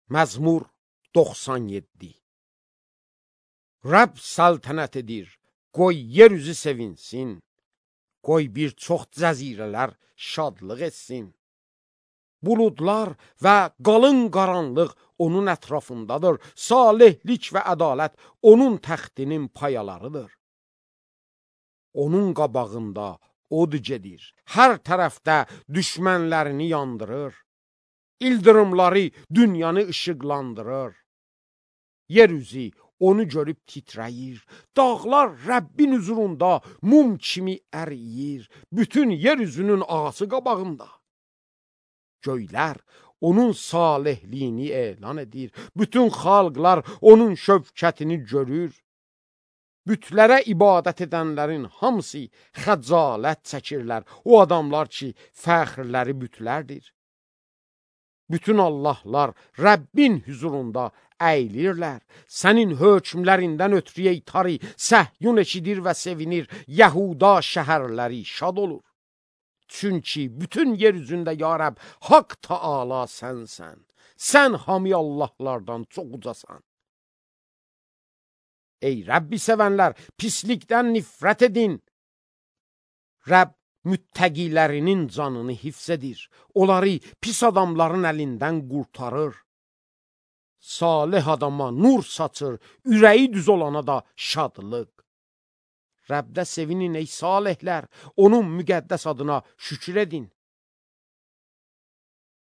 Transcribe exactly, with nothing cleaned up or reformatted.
Məzmur doxsan yeddi. Rəbb səltənət edir, qoy yer üzü sevinsin, qoy bir çox cəzirələr şadlıq etsin. Buludlar və qalın qaranlıq onun ətrafındadır, salihlik və ədalət onun təxtinin payalarıdır. Onun qabağında od gedir, hər tərəfdə düşmənlərini yandırır. İldırımları dünyanı işıqlandırır. Yer üzü onu görüb titrəyir, dağlar Rəbbin huzurunda mum kimi əriyir, bütün yer üzünün ağası qabağında. Göylər onun salihliyini elan edir, bütün xalqlar onun şövkətini görür. Bütlərə ibadət edənlərin hamısı xəcalət çəkirlər, o adamlar ki, fəxrləri bütlərdir. Bütün Allahlar Rəbbin huzurunda əyilirlər. Sənin hökmlərindən ötürü ey tarı, Səhyun eşidir və sevinir, Yəhuda şəhərləri şad olur. Çünki bütün yer üzündə ya Rəbb, Haqq Taala sənsən. Sən hami Allahlardan çox ucasan. Ey Rəbbi sevənlər, pislikdən nifrət edin. Rəbb müttəqilərinin canını hifz edir. Onları pis adamların əlindən qurtarır. Salih adama nur saçır, ürəyi düz olana da şadlıq. Rəbdə sevinin ey salihlər, onun müqəddəs adına şükür edin.